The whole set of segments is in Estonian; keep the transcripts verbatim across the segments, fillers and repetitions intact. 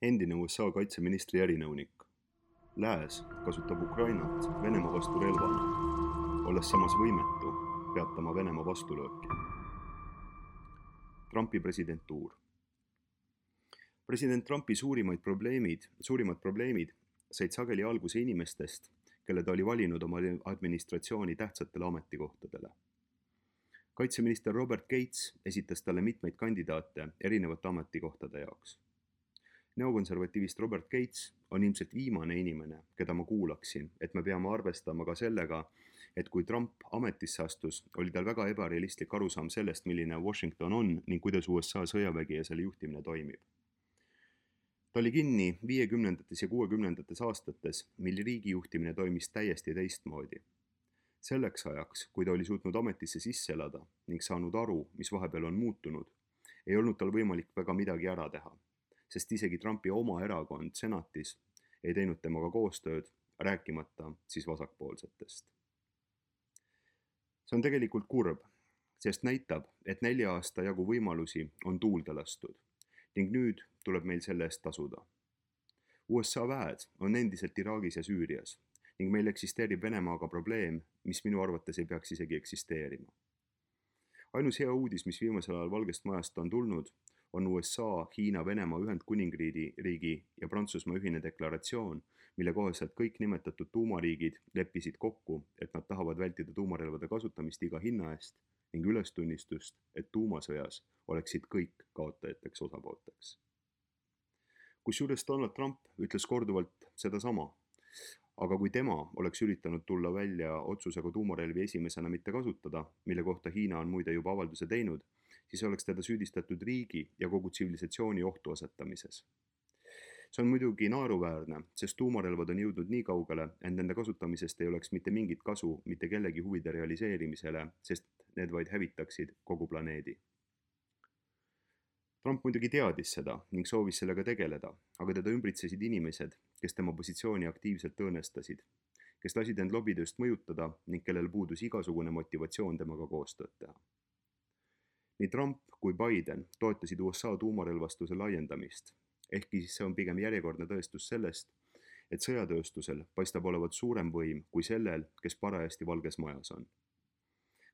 Endine U S A kaitseministri erinõunik. Lääs kasutab Ukrainat Venemaa vastu relvana, olles samas võimetu peatama Venemaa vastulööki. Trumpi presidentuur. President Trumpi suurimaid probleemid, suurimad probleemid said sageli alguse inimestest, kelle ta oli valinud oma administratsiooni tähtsatele ametikohtadele. Kaitseminister Robert Gates esitas talle mitmeid kandidaate erinevate ametikohtade jaoks. Neokonservatiivist Robert Gates on ilmselt viimane inimene, keda ma kuulaksin, et me peame arvestama ka sellega, et kui Trump ametisse astus, oli tal väga ebarealistlik arusaam sellest, milline Washington on ning kuidas U S A sõjavägi ja selle juhtimine toimib. Ta oli kinni viiekümnendates ja kuuekümnendates aastates, mil riigi juhtimine toimis täiesti teistmoodi. Selleks ajaks, kui ta oli suutnud ametisse sisse elada ning saanud aru, mis vahepeal on muutunud, ei olnud tal võimalik väga midagi ära teha, sest isegi Trumpi oma erakond senatis ei teinud temaga koostööd, rääkimata siis vasakpoolsetest. See on tegelikult kurb, sest näitab, et nelja aasta jagu võimalusi on tuulde lastud ning nüüd tuleb meil selle eest tasuda. U S A väed on endiselt Iraagis ja Süürias ning meil eksisteerib Venemaaga probleem, mis minu arvates ei peaks isegi eksisteerima. Ainus hea uudis, mis viimasel ajal Valgest Majast on tulnud, on U S A, Hiina, Venemaa, Ühendkuningriigi riigi ja Prantsusmaa ühine deklaratsioon, mille kohaselt kõik nimetatud tuumariigid leppisid kokku, et nad tahavad vältida tuumarelvade kasutamist iga hinna eest ning ülestunnistust, et tuumasõjas oleksid kõik kaotajateks osapoolteks. Kusjuures Donald Trump ütles korduvalt sedasama, aga kui tema oleks üritanud tulla välja otsusega tuumarelvi esimesena mitte kasutada, mille kohta Hiina on muide juba avalduse teinud, siis oleks teda süüdistatud riigi ja kogu tsivilisatsiooni ohtu asetamises. See on muidugi naeruväärne, sest tuumarelvad on jõudnud nii kaugele, et nende kasutamisest ei oleks mitte mingit kasu mitte kellegi huvide realiseerimisele, sest need vaid hävitaksid kogu planeedi. Trump muidugi teadis seda ning soovis sellega tegeleda, aga teda ümbritsesid inimesed, kes tema positsiooni aktiivselt õõnestasid, kes lasid end lobitööst mõjutada ning kellel puudus igasugune motivatsioon temaga koostööd teha. Nii Trump kui Biden toetasid U S A tuumarelvastuse laiendamist, ehkki see on pigem järjekordne tõestus sellest, et sõjatööstusel paistab olevat suurem võim kui sellel, kes parajasti Valges Majas on.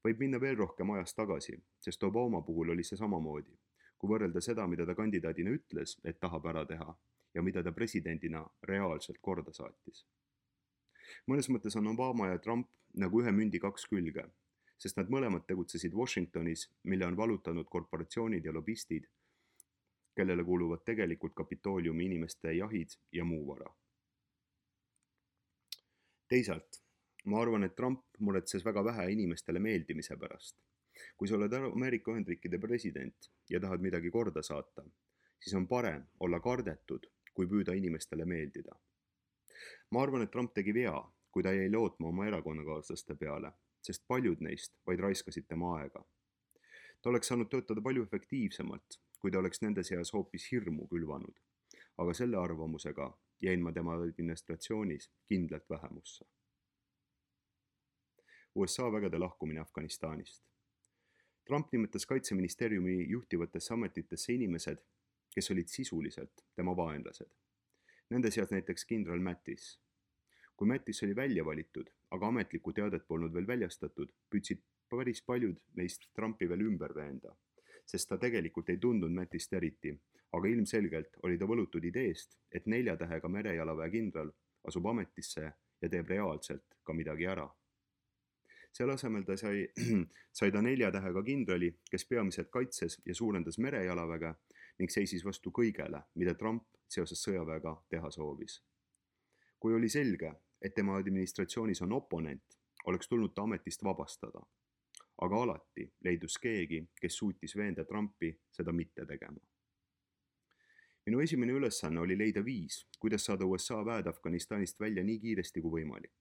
Võib minna veel rohkem ajas tagasi, sest Obama puhul oli see samamoodi, kui võrrelda seda, mida ta kandidaadina ütles, et tahab ära teha, ja mida ta presidendina reaalselt korda saatis. Mõnes mõttes on Obama ja Trump nagu ühe mündi kaks külge, sest nad mõlemad tegutsesid Washingtonis, mille on valutanud korporatsioonid ja lobistid, kellele kuuluvad tegelikult Kapitooliumi inimeste jahid ja muu vara. Teisalt, ma arvan, et Trump muretses väga vähe inimestele meeldimise pärast. Kui sa oled Ameerika Ühendriikide president ja tahad midagi korda saata, siis on parem olla kardetud, kui püüda inimestele meeldida. Ma arvan, et Trump tegi vea, kui ta jäi lootma oma erakonnakaaslaste peale, sest paljud neist vaid raiskasid tema aega. Ta oleks saanud töötada palju efektiivsemalt, kui ta oleks nende seas hoopis hirmu külvanud, aga selle arvamusega jäin ma tema administratsioonis kindlalt vähemusse. U S A vägede lahkumine Afganistanist. Trump nimetas kaitseministeeriumi juhtivatesse ametitesse inimesed, kes olid sisuliselt tema vaenlased. Nende seas näiteks kindral Mattis. Kui Mattis oli välja valitud, aga ametlikku teadet polnud veel väljastatud, püüdsid päris paljud neist Trumpi veel ümber veenda, sest ta tegelikult ei tundnud Mattist eriti, aga ilmselgelt oli ta võlutud ideest, et nelja tähega merejalaväe kindral asub ametisse ja teeb reaalselt ka midagi ära. Selle asemel ta sai, sai ta nelja tähega kindrali, kes peamiselt kaitses ja suurendas merejalaväge ning seisis vastu kõigele, mida Trump seoses sõjaväega teha soovis. Kui oli selge, et tema administratsioonis on oponent, oleks tulnud ta ametist vabastada. Aga alati leidus keegi, kes suutis veenda Trumpi seda mitte tegema. Minu esimene ülesanne oli leida viis, kuidas saada U S A väed Afganistanist välja nii kiiresti kui võimalik.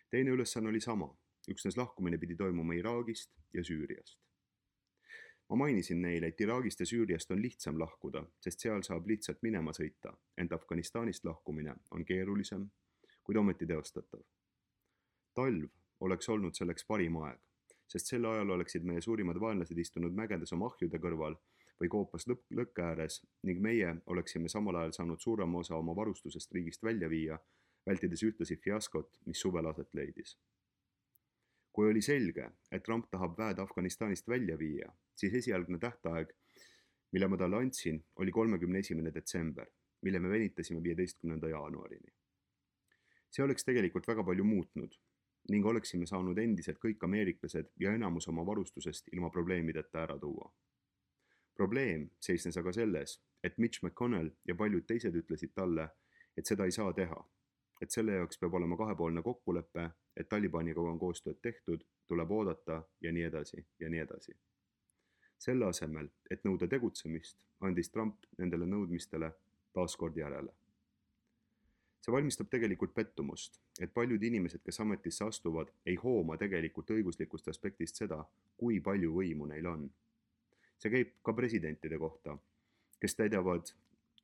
Teine ülesanne oli sama. Üksnes lahkumine pidi toimuma Iraagist ja Süüriast. Ma mainisin neile, et Iraagist ja Süüriast on lihtsam lahkuda, sest seal saab lihtsalt minema sõita, ent Afganistanist lahkumine on keerulisem, kuid ometi teostatav. Talv oleks olnud selleks parim aeg, sest sel ajal oleksid meie suurimad vaenlased istunud mägedes oma ahjude kõrval või koopas lõpp, lõkke ääres ning meie oleksime samal ajal saanud suurema osa oma varustusest riigist välja viia, vältides ühtlasi fiaskot, mis suvel aset leidis. Kui oli selge, et Trump tahab väed Afganistanist välja viia, siis esialgne tähtaeg, mille ma talle andsin, oli kolmekümne esimene detsember, mille me venitasime viieteistkümnenda jaanuarini. See oleks tegelikult väga palju muutnud ning oleksime saanud endiselt kõik ameeriklased ja enamus oma varustusest ilma probleemideta ära tuua. Probleem seisnes aga selles, et Mitch McConnell ja paljud teised ütlesid talle, et seda ei saa teha, et selle jaoks peab olema kahepoolne kokkulepe, et Talibaniga on koostööd tehtud, tuleb oodata ja nii edasi ja nii edasi. Selle asemel, et nõuda tegutsemist, andis Trump nendele nõudmistele taaskord järele. See valmistab tegelikult pettumust, et paljud inimesed, kes ametisse astuvad, ei hooma tegelikult õiguslikust aspektist seda, kui palju võimu neil on. See käib ka presidentide kohta, kes täidavad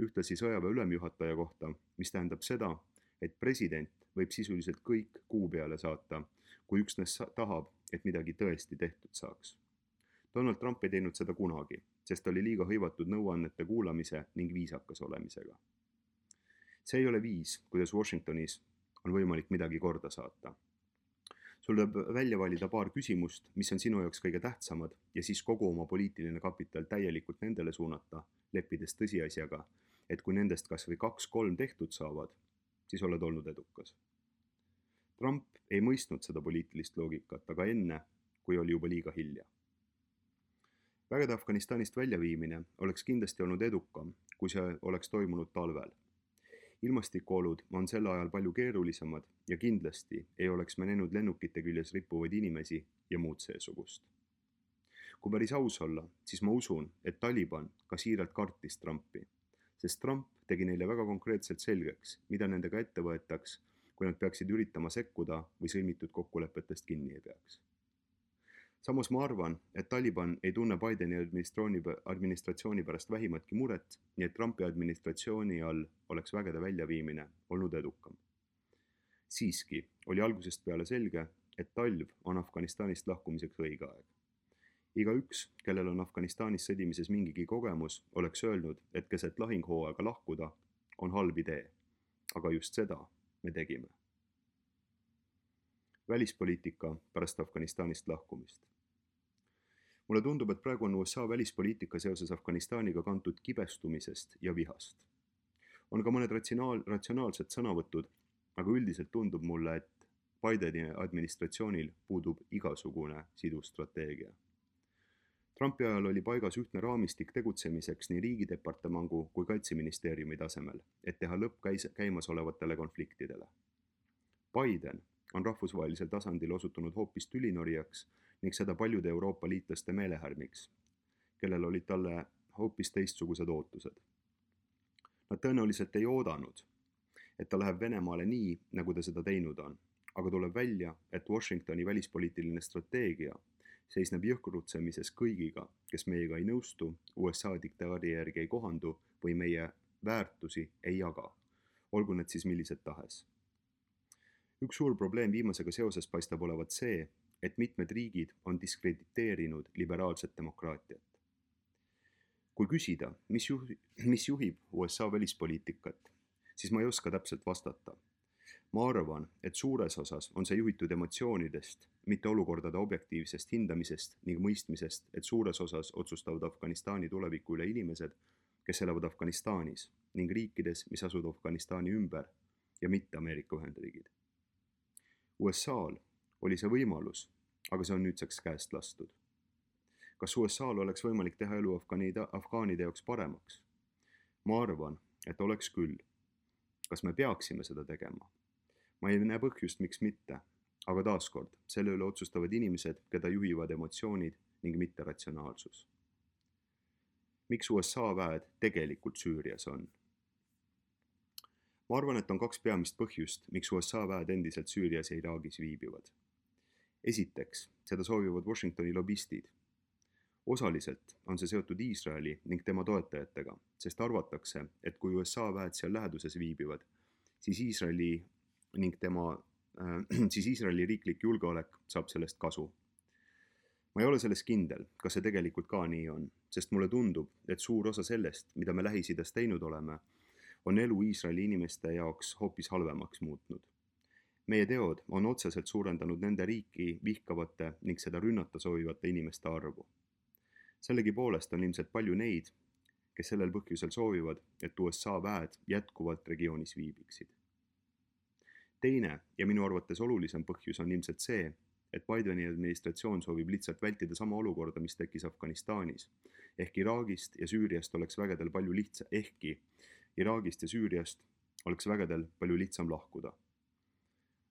ühtlasi sõjaväe ülemjuhataja kohta, mis tähendab seda, et president võib sisuliselt kõik kuu peale saata, kui üksnes tahab, et midagi tõesti tehtud saaks. Donald Trump ei teinud seda kunagi, sest oli liiga hõivatud nõuannete kuulamise ning viisakas olemisega. See ei ole viis, kuidas Washingtonis on võimalik midagi korda saata. Sul tuleb välja valida paar küsimust, mis on sinu jaoks kõige tähtsamad ja siis kogu oma poliitiline kapital täielikult nendele suunata, leppides tõsiasjaga, et kui nendest kas või kaks-kolm tehtud saavad, siis oled olnud edukas. Trump ei mõistnud seda poliitilist loogikat, aga enne, kui oli juba liiga hilja. Vägede Afganistanist väljaviimine oleks kindlasti olnud edukam, kui see oleks toimunud talvel. Ilmastikuolud on sel ajal palju keerulisemad ja kindlasti ei oleks me näinud lennukite küljes rippuvaid inimesi ja muud seesugust. Kui päris aus olla, siis ma usun, et Taliban ka siiralt kartis Trumpi, sest Trump tegi neile väga konkreetselt selgeks, mida nendega ette võetaks, kui nad peaksid üritama sekkuda või sõlmitud kokkulepetest kinni ei peaks. Samas ma arvan, et Taliban ei tunne Bideni administratsiooni pärast vähimatki muret, nii et Trumpi administratsiooni all oleks vägede väljaviimine olnud edukam. Siiski oli algusest peale selge, et talv on Afganistanist lahkumiseks õige aeg. Igaüks, kellel on Afganistanis sõdimises mingigi kogemus, oleks öelnud, et keset lahinghooaega lahkuda on halb idee, aga just seda me tegime. Välispoliitika pärast Afganistanist lahkumist. Mulle tundub, et praegu on U S A välispoliitika seoses Afganistaniga kantud kibestumisest ja vihast. On ka mõned ratsionaal, ratsionaalsed sõnavõtud, aga üldiselt tundub mulle, et Bideni administratsioonil puudub igasugune sidusstrateegia. Trumpi ajal oli paigas ühtne raamistik tegutsemiseks nii riigidepartemangu kui kaitseministeeriumi tasemel, et teha lõpp käis, käimasolevatele konfliktidele. Biden on rahvusvahelisel tasandil osutunud hoopis tülinorijaks ning seda paljude Euroopa liitlaste meelehärmiks, kellel olid talle hoopis teistsugused ootused. Nad tõenäoliselt ei oodanud, et ta läheb Venemaale nii, nagu ta seda teinud on, aga tuleb välja, et Washingtoni välispoliitiline strateegia seisneb jõhkrutsemises kõigiga, kes meiega ei nõustu, U S A diktaadi järgi ei kohandu või meie väärtusi ei jaga, olgu need siis millised tahes. Üks suur probleem viimasega seoses paistab olevat see, et mitmed riigid on diskrediteerinud liberaalset demokraatiat. Kui küsida, mis, juhi, mis juhib U S A välispoliitikat, siis ma ei oska täpselt vastata. Ma arvan, et suures osas on see juhitud emotsioonidest, mitte olukordade objektiivsest hindamisest ning mõistmisest, et suures osas otsustavad Afganistani tuleviku üle inimesed, kes elavad Afganistanis ning riikides, mis asuvad Afganistani ümber ja mitte Ameerika Ühendriigid. U S A-l oli see võimalus, aga see on nüüdseks käest lastud. Kas U S A-l oleks võimalik teha elu afgaanide, afgaanide jaoks paremaks? Ma arvan, et oleks küll. Kas me peaksime seda tegema? Ma ei näe põhjust, miks mitte, aga taaskord, selle üle otsustavad inimesed, keda juhivad emotsioonid ning mitte ratsionaalsus. Miks U S A väed tegelikult Süürias on? Ma arvan, et on kaks peamist põhjust, miks U S A väed endiselt Süürias ja Iraagis viibivad. Esiteks, seda soovivad Washingtoni lobistid. Osaliselt on see seotud Iisraeli ning tema toetajatega, sest arvatakse, et kui U S A väed seal läheduses viibivad, siis Iisraeli ning tema, äh, siis Iisraeli riiklik julgeolek saab sellest kasu. ma ei ole selles kindel, kas see tegelikult ka nii on, sest mulle tundub, et suur osa sellest, mida me Lähis-Idas teinud oleme, on elu Iisraeli inimeste jaoks hoopis halvemaks muutnud. Meie teod on otseselt suurendanud nende riiki vihkavate ning seda rünnata soovivate inimeste arvu. Sellegipoolest on ilmselt palju neid, kes sellel põhjusel soovivad, et U S A väed jätkuvalt regioonis viibiksid. Teine ja minu arvates olulisem põhjus on ilmselt see, et Bideni administratsioon soovib lihtsalt vältida sama olukorda, mis tekkis Afganistanis. Ehk Iraagist ja Süüriast oleks vägedel palju lihtsam, ehkki Iraagist ja Süüriast oleks vägedel palju lihtsam lahkuda.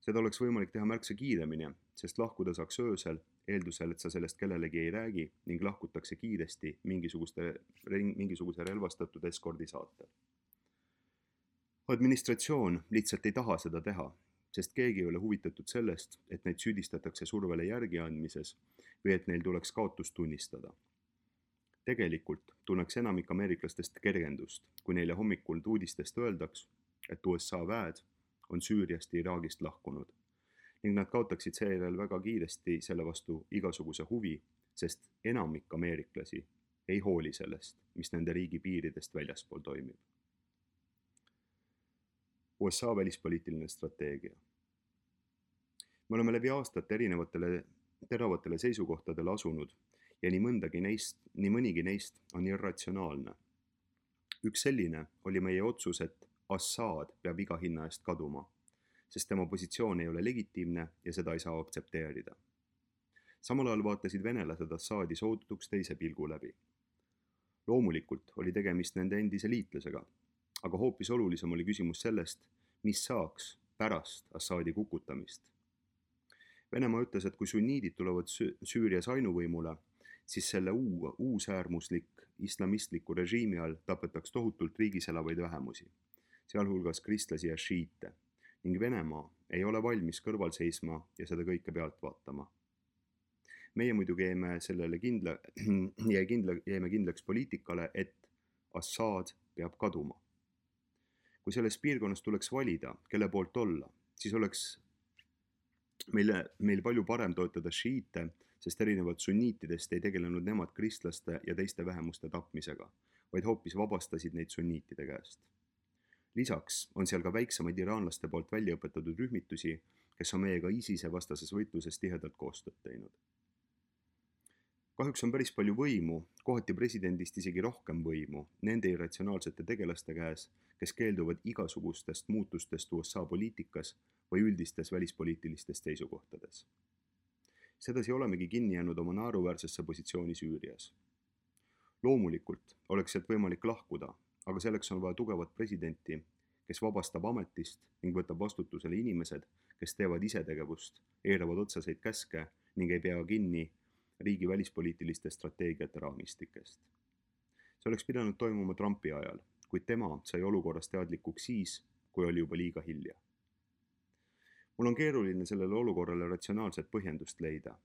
Seda oleks võimalik teha märksa kiiremini, sest lahkuda saaks öösel, eeldusel, et sa sellest kellelegi ei räägi ning lahkutakse kiiresti mingisuguste, mingisuguse relvastatud eskordi saatel. Administratsioon lihtsalt ei taha seda teha, sest keegi ei ole huvitatud sellest, et neid süüdistatakse survele järgi andmises või et neil tuleks kaotust tunnistada. Tegelikult tunneks enamik ameeriklastest kergendust, kui neile hommikul uudistest öeldaks, et U S A väed on Süüriast ja Iraagist lahkunud ning nad kaotaksid seejärel väga kiiresti selle vastu igasuguse huvi, sest enamik ameeriklasi ei hooli sellest, mis nende riigi piiridest väljaspool toimib. U S A välispoliitiline strateegia. Me oleme läbi aastate erinevatele teravatele seisukohtadele asunud ja nii mõndagi neist, nii mõnigi neist on irratsionaalne. Üks selline oli meie otsus, et Assad peab iga hinna eest kaduma, sest tema positsioon ei ole legitiimne ja seda ei saa aktsepteerida. Samal ajal vaatasid venelased Assadi soodutuks teise pilgu läbi. Loomulikult oli tegemist nende endise liitlasega, aga hoopis olulisem oli küsimus sellest, mis saaks pärast Assadi kukutamist. Venemaa ütles, et kui sunniidid tulevad Süürias ainuvõimule, siis selle uu, uusäärmuslik islamistliku režiimi all tapetaks tohutult riigis elavaid vähemusi, sealhulgas kristlasi ja šiite, ning Venemaa ei ole valmis kõrval seisma ja seda kõike pealt vaatama. Meie muidugi jäime sellele kindla, jäi kindla, jäime kindlaks poliitikale, et Assad peab kaduma. Kui selles piirkonnas tuleks valida, kelle poolt olla, siis oleks meile, meil palju parem toetada šiite, sest erinevalt sunniitidest ei tegelenud nemad kristlaste ja teiste vähemuste tapmisega, vaid hoopis vabastasid neid sunniitide käest. Lisaks on seal ka väiksemaid iraanlaste poolt välja õpetatud rühmitusi, kes on meiega ISISe vastases võitluses tihedalt koostööd teinud. Kahjuks on päris palju võimu, kohati presidendist isegi rohkem võimu, nende irratsionaalsete tegelaste käes, kes keelduvad igasugustest muutustest U S A poliitikas või üldistes välispoliitilistes seisukohtades. Sedasi olemegi kinni jäänud oma naeruväärsesse positsiooni Süürias. Loomulikult oleks sealt võimalik lahkuda, aga selleks on vaja tugevat presidenti, kes vabastab ametist ning võtab vastutusele inimesed, kes teevad isetegevust, eiravad otseseid käske ning ei pea kinni riigi välispoliitiliste strateegiate raamistikest. See oleks pidanud toimuma Trumpi ajal, kuid tema sai olukorrast teadlikuks siis, kui oli juba liiga hilja. Mul on keeruline sellele olukorrale ratsionaalset põhjendust leida.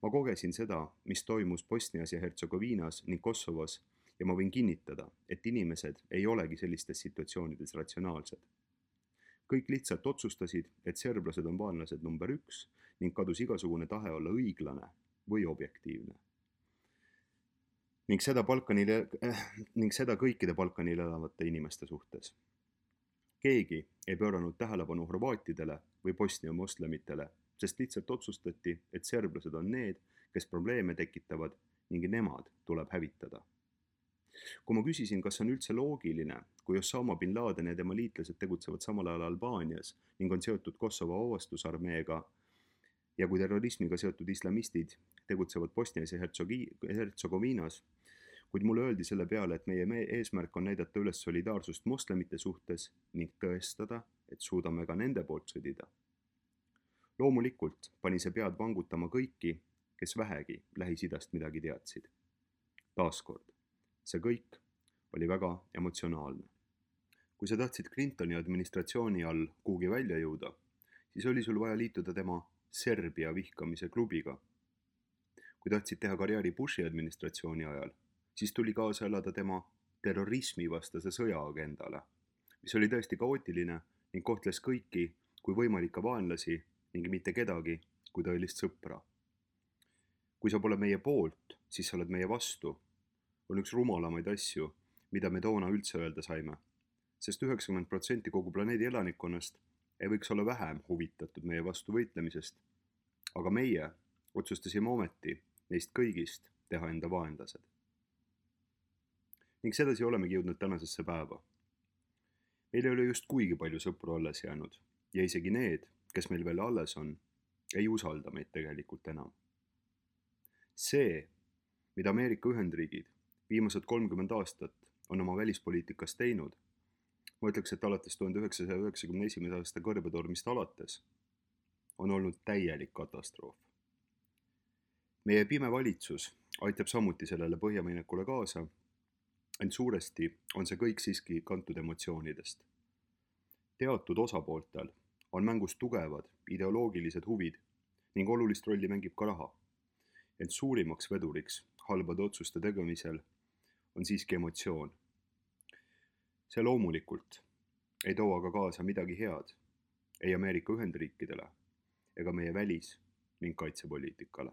Ma kogesin seda, mis toimus Bosnias ja Hertsegoviinas ning Kosovos ja ma võin kinnitada, et inimesed ei olegi sellistes situatsioonides ratsionaalsed. Kõik lihtsalt otsustasid, et serblased on vaenlased number üks ning kadus igasugune tahe olla õiglane või objektiivne. Ning seda, Balkanil, äh, ning seda kõikide Balkanil elavate inimeste suhtes. Keegi ei pööranud tähelepanu horvaatidele või Bosnia moslemitele, sest lihtsalt otsustati, et serblased on need, kes probleeme tekitavad ning nemad tuleb hävitada. Kui ma küsisin, kas on üldse loogiline, kui Osama bin Laden ja tema liitlased tegutsevad samal ajal Albaanias ning on seotud Kosovo vabastusarmeega ja kui terrorismiga seotud islamistid tegutsevad Bosnias ja Hertsegoviinas, kuid mulle öeldi selle peale, et meie eesmärk on näidata üles solidaarsust moslemite suhtes ning tõestada, et suudame ka nende poolt sõdida. Loomulikult pani see pead vangutama kõiki, kes vähegi Lähis-Idast midagi teadsid. Taaskord, see kõik oli väga emotsionaalne. Kui sa tahtsid Clintoni administratsiooni all kuhugi välja jõuda, siis oli sul vaja liituda tema Serbia vihkamise klubiga. Kui tahtsid teha karjääri Bushi administratsiooni ajal, siis tuli kaasa elada tema terrorismivastase sõjaagendale, mis oli tõesti kaootiline ning kohtles kõiki kui võimalikke vaenlasi ning mitte kedagi kui tõelist sõpra. kui sa pole meie poolt, siis sa oled meie vastu, on üks rumalamaid asju, mida me toona üldse öelda saime, sest üheksakümmend protsenti kogu planeedi elanikkonnast ei võiks olla vähem huvitatud meie vastu võitlemisest, aga meie otsustasime ometi neist kõigist teha enda vaenlased. Ning sedasi olemegi jõudnud tänasesse päeva. Meil ei ole just kuigi palju sõpru alles jäänud ja isegi need, kes meil veel alles on, ei usalda meid tegelikult enam. See, mida Ameerika Ühendriigid viimased kolmkümmend aastat on oma välispoliitikas teinud, ma ütleks, et alates tuhande üheksasaja üheksakümne esimese aasta kõrbetormist alates, on olnud täielik katastroof. Meie pime valitsus aitab samuti sellele põhjaminekule kaasa, ent suuresti on see kõik siiski kantud emotsioonidest. Teatud osapooltel on mängus tugevad ideoloogilised huvid ning olulist rolli mängib ka raha, ent suurimaks veduriks halbade otsuste tegemisel on siiski emotsioon. See loomulikult ei too aga kaasa midagi head ei Ameerika Ühendriikidele ega meie välis- ning kaitsepoliitikale.